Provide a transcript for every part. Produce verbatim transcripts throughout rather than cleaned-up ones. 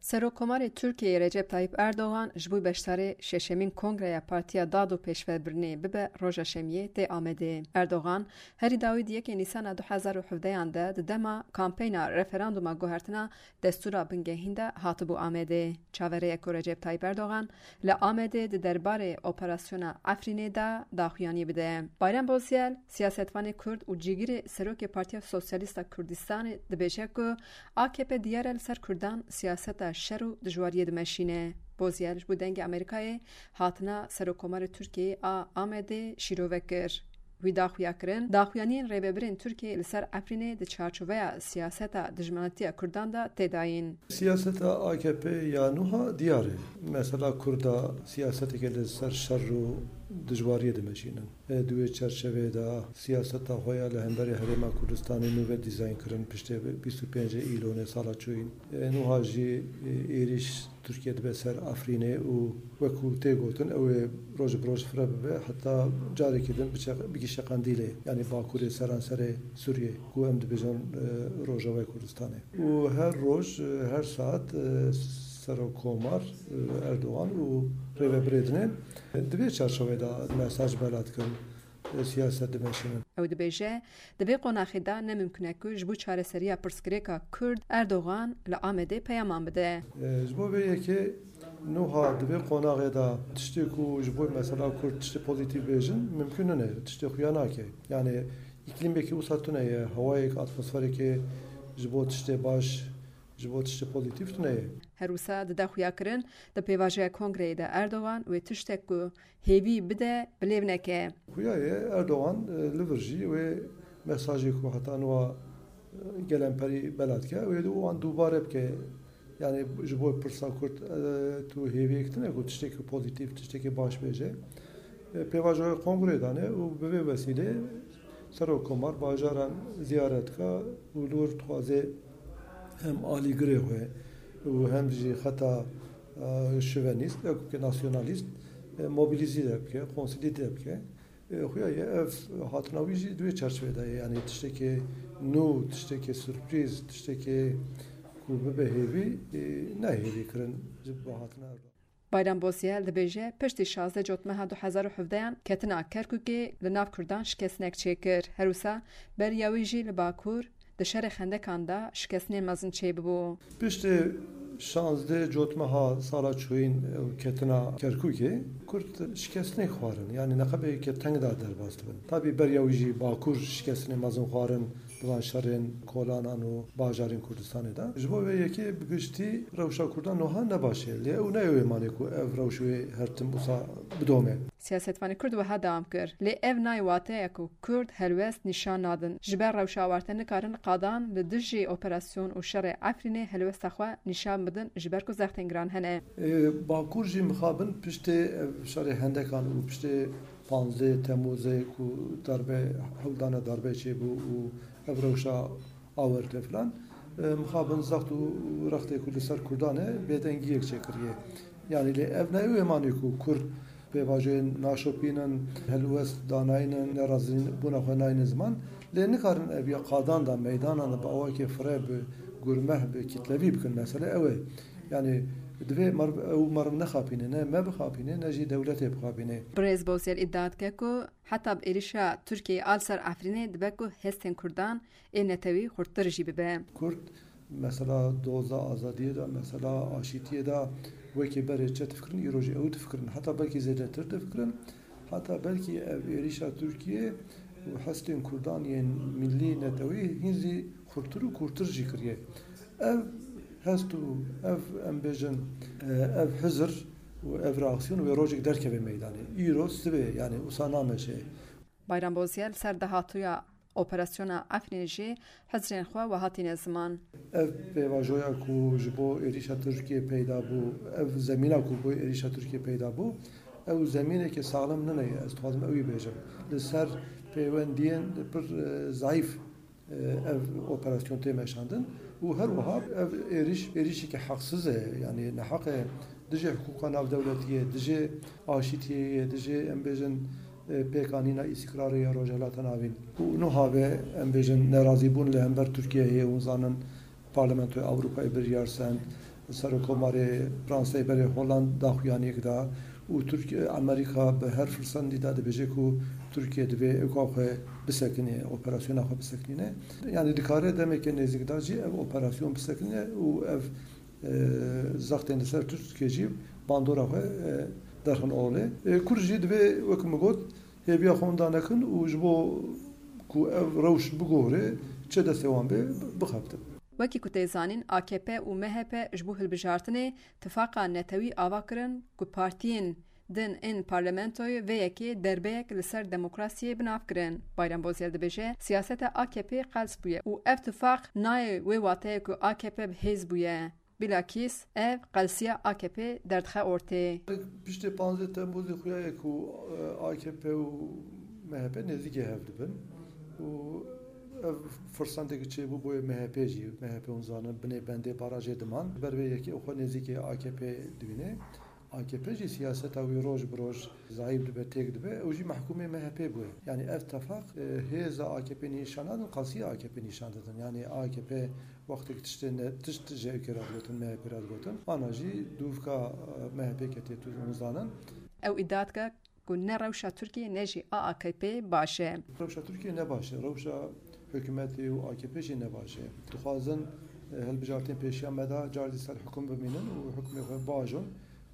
Serokkomarê Tirkiyeyê Recep Tayyip Erdogan ji bo beşdarê şeşemîn Kongreya Partiya Dad û Pêşvebirinê bibe roja Şemiyê tê Amedê. Erdogan herî dawî di yekê Nîsana du hezar û hevdeyan de di dema kampeyna referanduma guhertina destûra bingehîn de hatibû Amedê. Çaverêyeko Recep Tayyip Erdogan li Amedê di derbarê operasyona Efrînê de daxuyaniyê bide. Bayram Bozyel, siyasetvanê Kurd û cîgirê serokê Partiya Sosyalîst a Kurdistanê dibêje ku A K P diyar e li ser Kurdan siyaseta şer û dijwariyê dimeşîne. Bozyel ji bo Dengê Amerîkayê hatina Serokkomarê Tirkiyeyê a Amedê şîrove kir. Wî daxuya kirin, daxuyaniyên rêvebirên Tirkiyeyê li ser Efrînê di çarçoveya siyaseta dijminatiya Kurdan de tê dayîn. Siyaseta A K P ya nû ha diyar e. Mesela Kurda siyaseteke li ser şer û dijwariyê dimeşînin. E, di wê çerçeveyê de siyaseta xwe ya li hemberî Herêma Kurdistanê nû ve dîzayn kirin piştê bîst û pêncê Îlonê sala çûyîn. E, nû ha jî, e, êrîş Tirkiye dibe ser Efrînê û wekû tê gotin, ew ê roj bi roj fireh bibe, heta carekî din biçe-, bigihîşe Qendîlê, yanî bakurê seranserê Sûriyê, ku em dibêjin, e, Rojavayê Kurdistanê. Û her roj, e, her saet, e, Serokkomar, e, Erdogan û rêvebirê din ê. Di vê çarçoveyê de mesaj bela dikin, e, siyaset dimeşînin. Ew dibêje, di vê qonaxê de ne mimkun e ku ji bo çareseriya pirsgirêka Kurd Erdogan li Amedê peyaman bide. E, ji bo vê yekê nû ha di vê qonaxê de tiştê ku ji bo mesela Kurd tiştê pozîtîf bêjin mimkun nine, tiştê xuya nake. Yanî îklîmekî wisa tune ye, hewayek, atmosferekê ji bo tiştê baş, ji bo tiştê pozîtîf tune ye. Her wisa dide xuyakirin, di pêvajoya kongreyê de Erdogan wê tiştek ku hêvî bide, bi lêv neke. Xuya ye Erdogan, e, li vir jî wê mesajê ku heta niha, e, gelemperî bela dike, wê wan dubare bike. Yanî ji bo pirsa Kurd, e, tu hêviyek tune ku tiştekî pozîtîf, tiştekî baş bêje. E, pêvajoya kongreyê dane û bi vê wesîlê Serokkomar bajaran ziyaret dike û li wir dixwaze hem alîgirê xwe û hem jî xeta, e, şovenîst, wekî nasyonalîst, e, mobilîze bike, konsolîde bike. E, xuya ye ev hatina wî jî di wê çerçevê de ye. Yanî tiştekê nû, tiştekê surprîz, tiştekê ku bibe hêvî, e, ne hêvî kirin ji bo hatina Erdogan. Bayram Bozyel dibêje, piştî şazdeh Cotmeha du hezar û hevdeyan ketina Kerkûkê li nav Kurdan şikestinek çêkir. Her wisa beriya wî jî li Bakur di şerê Xendekan de şikestinên mezin çêbûbû. Piştî şazdeh Cotmeha sala çûyîn û ketina Kerkûkê, Kurd şikestinek xwarin. Yanî neqebê ke teng de derbas dibin. Tabî beriya wî jî Bakur şikestinên mezin xwarin. Di van şerên kolanan û bajarên Kurdistanê de. Ji bo vê yekê bi giştî rewşa Kurdan niha ne baş e. Lê ew ne ew ê manê ku ev rewş wê her tim wisa bidome. Siyasetvanê Kurd wiha dewam kir, lê ev nayê wateya ku Kurd helwest nîşan nadin. Ji ber rewşa awarte nikarin qadan li dijî operasyon û şerê Efrînê helwesta xwe nîşan bidin, ji ber ku zextên giran hene. Ê, Bakur jî mixabin piştê ev şerê Hendekan û piştê panzdeh Temmûzê ku darbe, hewldana darbe çêbû û ev rewşa awarte filan, e, mixabin zext û rextê ku li ser Kurdan e, bêdengiyek çêkiriye. Yanî lê ev ne ew ê manê ku Kurd pêvajoyên naşopînin, helwest danaynin, nerazîbûna xwe naynin ziman, lê nikarin ev ya qadan da, meydanan da bi awakê fireh, bi gurmeh, bi kitlevî bikin. Mesele ew e. Yanî divê meriv, ew meriv nexapîne, ne me bixapîne, ne jî dewletê bixapîne. Birêz Bozyel îdia dike ku heta bi êrişa Tirkiyeyê a li ser Efrînê dibe ku hestên Kurdan ê netewî xurttir jî bibe. Kurd mesela doza azadiyê de, mesela aşîtiyê de wekî berê çi difikirin, îro jî ew difikirin. Heta belkî zêdetir difikirin. Heta belkî ev êrişa Tirkiyê û hestên Kurdan yên millî netewî hîn zî xurtir û kûrtir jî kiriye. Ev hest û ev, em bêjin, e, ev hizir û ev reaksiyon wê rojek derkeve meydanê. Îro sibê, yanî wisa nameşe. Bayram Bozyel ser dahatûya operasyona Efrînê jî hizrên xwe wiha tîne ziman. Ev pêvajoya ku ji bo êrîşa Tirkiyê peyda bû, ev zemîna ku bo êrîşa Tirkiyê peyda bû, ew zemîneke saxlem nine ye, ez dixwazim ewî bêjim. Li ser pêwendiyên pir, e, zayîf, e, ev operasyon tê meşandin û her wiha ev êrîş, êrîşeke heqsiz e, yanî neheq e, dijî hiqûqa navdewletî ye, dijî aşîtiyê ye, dijî, em bêjin, e, pêkanîna îstîkrarê ya Rojhilata Navîn. Û niha ve, em bêjin, nerazîbûn li hember Tirkiyeyê heye, hûn zanin Parlamentoya Ewropayê biryar send, Serokkomarê Fransayê berê Hollande daxuyaniyek da û Tirk-, Amerîka bi her firsendî de dibêje ku Tirkiye divê ewka xwe bisekinê, operasyona xwe bisekinîne. Yani dikare demeke nêzîk de jî ev operasyon bisekinîne û ev, e, zextên li ser Tirkiye jî bandora xwe, e, derxin olê. E, Kurd jî divê, wek min got, hêviya xwe winda nekin û ji bo ku ev rewş bigore, çi destê wan bê, bixebtin. Wekî ku tê zanîn, A K P û M H P ji bo hilbijartinê tifaqa netewî ava kirin ku partiyên din ên parlamentoyê vê yekê derbeyek li ser demokrasiyê bi nav kirin. Bayram Bozyel dibêje, siyaseta A K P qels bûye û ev tifaq nayê wê wateyê ku A K P bi hêz bûye. Bilakîs ev qelsiya A K P derdixe ortê. Piştê panzdeh Temmuzê xuya ye ku, e, A K P û M H P nêzîkî hev dibin û ev firsendekî çêbû boyê M H P jî. M H P hûn zanin binê bendê barajê diman. Ber vê yekê xwe nêzîkî A K P dibîne. A K P jî siyaseta wî roj bi roj zayîf dibe, têk dibe. Ew jî mehkûmê M H P bûye. Yani ev tefaq, e, hêza A K P nîşan nadin, qelsiya A K P nîşan didin. Yani A K P wextêk tiştê ne, tişt ji ewkê re digotin, M H P re digotin. Ana jî dûvka, e, M H P ketiye, tu hûn zanin. Ew îdia dike ku ne rewşa Tirkiyê ne jî a A K P baş e. Rewşa Tirkiyê ne baş e. Rewşa hikûmetê û A K P jî ne baş e. Dixwazin, e, hilbijartên pêşiya me de car dî ser hikûm bimînin û hikûmê xwe bajin.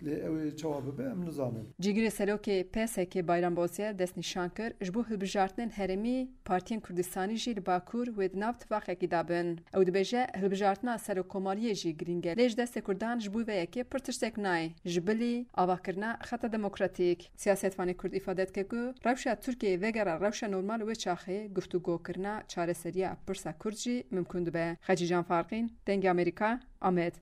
Lê ew ê çawa bibe, em nizanin. Cîgirê serokê P S K Bayram Bozyel destnîşan kir, ji bo hilbijartinên herêmî partiyên Kurdistanî jî li Bakur wê di nav tifaqekî de bin. Ew dibêje, hilbijartina serokkomariyê jî girîng e, lê ji destê Kurdan ji bo vê yekê pir tiştek nayê, ji bilî avakirina xeta demokratîk. Siyasetvanê Kurd îfade dike ku rewşa Tirkiyeyê vegera rewşa normal wê çaxê, guftûgokirina çareseriya pirsa Kurd jî mimkûn dibe. Xecîcan Farqîn, Dengê Amerîka, Amed.